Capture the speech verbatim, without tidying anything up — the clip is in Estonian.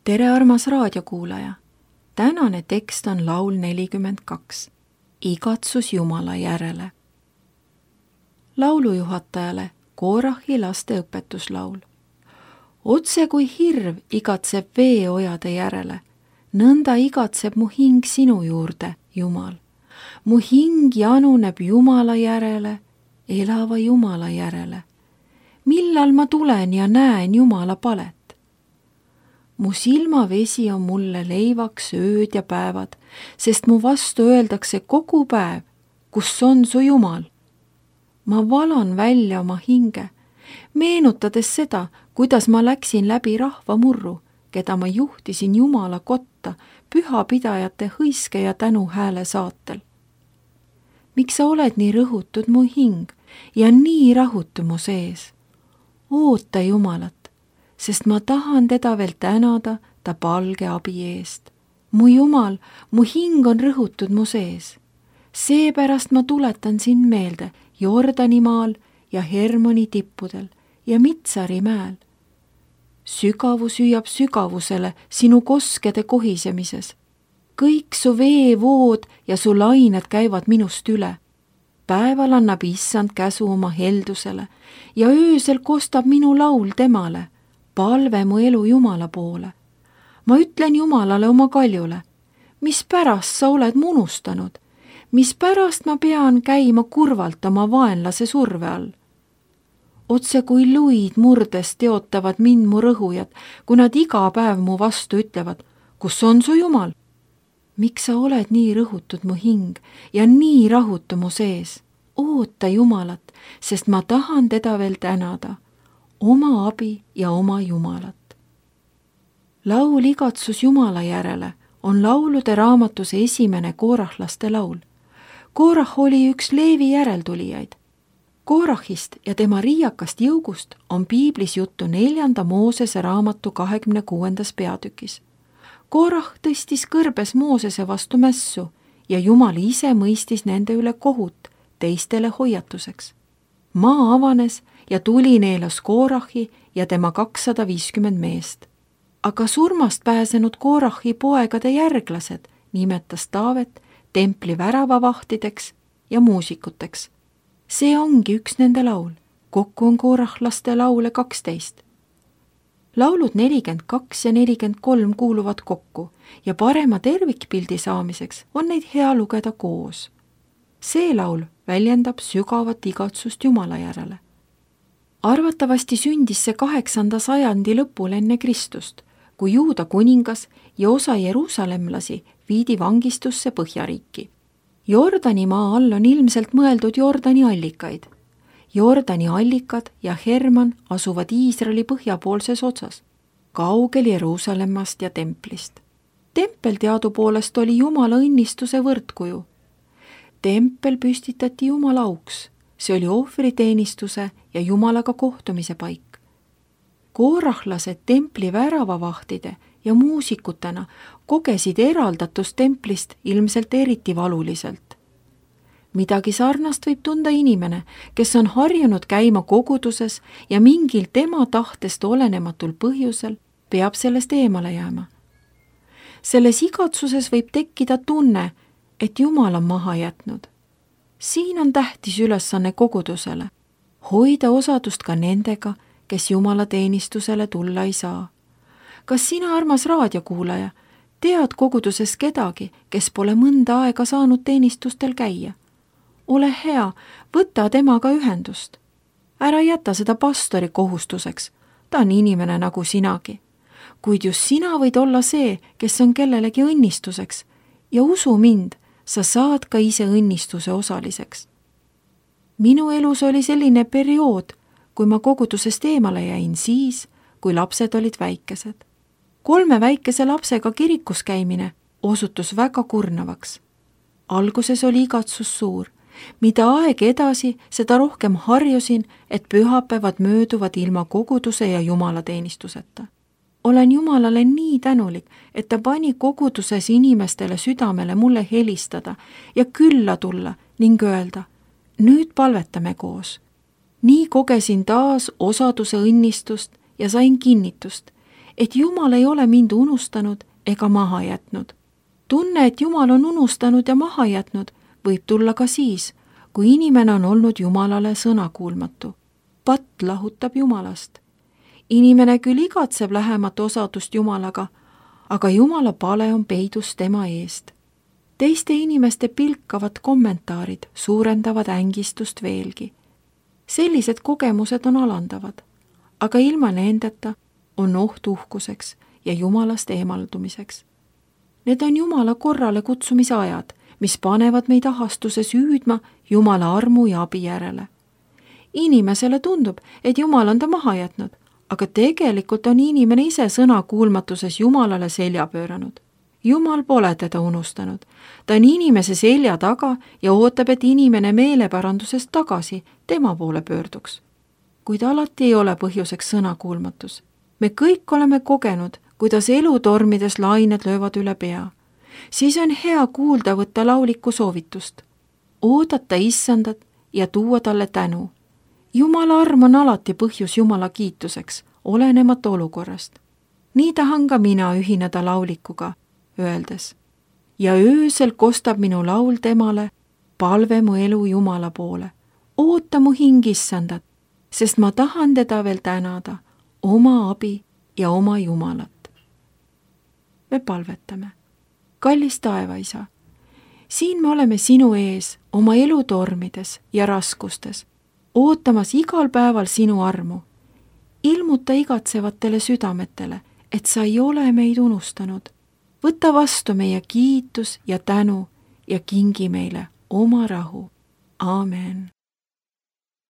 tere, armas raadiokuulaja! Tänane tekst on laul nelikümmend kaks. Igatsus Jumala järele. Laulujuhatajale Koorahi laste õpetuslaul. Otse kui hirv igatseb veeojade järele, nõnda igatseb mu hing sinu juurde, Jumal. Mu hing januneb Jumala järele, elava Jumala järele. Millal ma tulen ja näen Jumala palet? Mu silmavesi on mulle leivaks ööd ja päevad, sest mu vastu öeldakse kogu päev, kus on su Jumal. Ma valan välja oma hinge, meenutades seda, kuidas ma läksin läbi rahva murru, keda ma juhtisin Jumala kotta pühapidajate hõiske ja tänuhääle saatel. Miks sa oled nii rõhutud mu hing ja nii rahutu mu sees? Oota Jumalat, sest ma tahan teda veel tänada ta palge abi eest. Mu Jumal, mu hing on rõhutud mu sees. Seepärast ma tuletan sind meelde Jordani maal ja Hermoni tippudel ja Mitsari mäel. Sügavus hüüab sügavusele sinu koskede kohisemises. Kõik su veevood ja su lained käivad minust üle. Päeval annab issand käsu oma heldusele ja öösel kostab minu laul temale, palve mu elu Jumala poole. Ma ütlen Jumalale oma kaljule, mis pärast sa oled mu unustanud, mis pärast ma pean käima kurvalt oma vaenlase surve all. Otse kui luid murdes teotavad mind mu rõhujad, kui nad iga päev mu vastu ütlevad, kus on su Jumal? Miks sa oled nii rõhutud mu hing ja nii rahutu mu sees? Oota Jumalat, sest ma tahan teda veel tänada, oma abi ja oma Jumalat. Laul Igatsus Jumala järele on laulude raamatuse esimene koorahlaste laul. Koorah oli üks Leevi järeltulijaid. Koorahist ja tema riiakast jõugust on piiblis juttu neljanda Moosese raamatu kahekümne kuuendas peatükis. Koorah tõstis kõrbes Moosese vastu mässu ja Jumal ise mõistis nende üle kohut teistele hoiatuseks. Maa avanes ja tuli neelas Koorahi ja tema kakssada viiskümmend meest. Aga surmast pääsenud Koorahi poegade järglased nimetas Taavet templi väravavahtideks ja muusikuteks. See ongi üks nende laul. Kokku on koorahlaste laule kaksteist. Laulud nelikümmend kaks ja nelikümmend kolm kuuluvad kokku ja parema tervikpildi saamiseks on neid hea lugeda koos. See laul väljendab sügavat igatsust Jumala järele. Arvatavasti sündis see kaheksanda sajandi lõpul enne Kristust, kui Juuda kuningas ja osa jeruusalemlasi viidi vangistusse Põhjariiki. Jordani maa all on ilmselt mõeldud Jordani allikaid. Jordani allikad ja Herman asuvad Iisraeli põhjapoolses otsas, kaugel Jeruusalemmast ja templist. Tempel teadupoolest oli Jumala õnnistuse võrdkuju. Tempel püstitati Jumala auks, see oli ohvriteenistuse ja Jumalaga kohtumise paik. Koorahlased templi väravavahtide ja muusikutena kogesid eraldatust templist ilmselt eriti valuliselt. Midagi sarnast võib tunda inimene, kes on harjunud käima koguduses ja mingil tema tahtest olenematul põhjusel peab sellest eemale jääma. Selles igatsuses võib tekkida tunne, et Jumal on maha jätnud. Siin on tähtis ülesanne kogudusele, hoida osadust ka nendega, kes Jumala teenistusele tulla ei saa. Kas sina, armas raadiokuulaja, tead koguduses kedagi, kes pole mõnda aega saanud teenistustel käia? Ole hea, võta temaga ühendust. Ära jäta seda pastori kohustuseks, ta on inimene nagu sinagi. Kuid just sina võid olla see, kes on kellelegi õnnistuseks ja usu mind, sa saad ka ise õnnistuse osaliseks. Minu elus oli selline periood, kui ma kogudusest eemale jäin siis, kui lapsed olid väikesed. Kolme väikese lapsega kirikus käimine osutus väga kurnavaks. Alguses oli igatsus suur. Mida aeg edasi, seda rohkem harjusin, et pühapäevad mööduvad ilma koguduse ja jumalateenistuseta. Olen Jumalale nii tänulik, et ta pani koguduses inimestele südamele mulle helistada ja külla tulla ning öelda, nüüd palvetame koos. Nii kogesin taas osaduse õnnistust ja sain kinnitust, et Jumal ei ole mind unustanud ega maha jätnud. Tunne, et Jumal on unustanud ja maha jätnud, võib tulla ka siis, kui inimene on olnud Jumalale sõnakuulmatu. Patt lahutab Jumalast. Inimene küll igatseb lähemat osadust Jumalaga, aga Jumala pale on peidus tema eest. Teiste inimeste pilkavad kommentaarid suurendavad ängistust veelgi. Sellised kogemused on alandavad, aga ilma nendeta on oht uhkuseks ja Jumalast eemaldumiseks. Need on Jumala korrale kutsumise ajad, mis panevad meid ahastuses hüüdma Jumala armu ja abi järele. Inimesele tundub, et Jumal on ta maha jätnud, aga tegelikult on inimene ise sõna kuulmatuses Jumalale selja pööranud. Jumal pole teda unustanud. Ta on inimese selja taga ja ootab, et inimene meeleparandusest tagasi tema poole pöörduks. Kuid alati ei ole põhjuseks sõnakuulmatus. Me kõik oleme kogenud, kuidas elutormides lained löövad üle pea. Siis on hea kuulda võtta lauliku soovitust. Oodata issandat ja tuua talle tänu. Jumala arm on alati põhjus Jumala kiituseks, olenemata olukorrast. Nii tahan ka mina ühineda laulikuga, öeldes. Ja öösel kostab minu laul temale, palve mu elu Jumala poole. Oota mu hing issandat, sest ma tahan teda veel tänada, oma abi ja oma Jumalat. Me palvetame. Kallis taevaisa, siin me oleme sinu ees oma elutormides ja raskustes, ootamas igal päeval sinu armu. Ilmuta igatsevatele südametele, et sa ei ole meid unustanud. Võta vastu meie kiitus ja tänu ja kingi meile oma rahu. Aamen.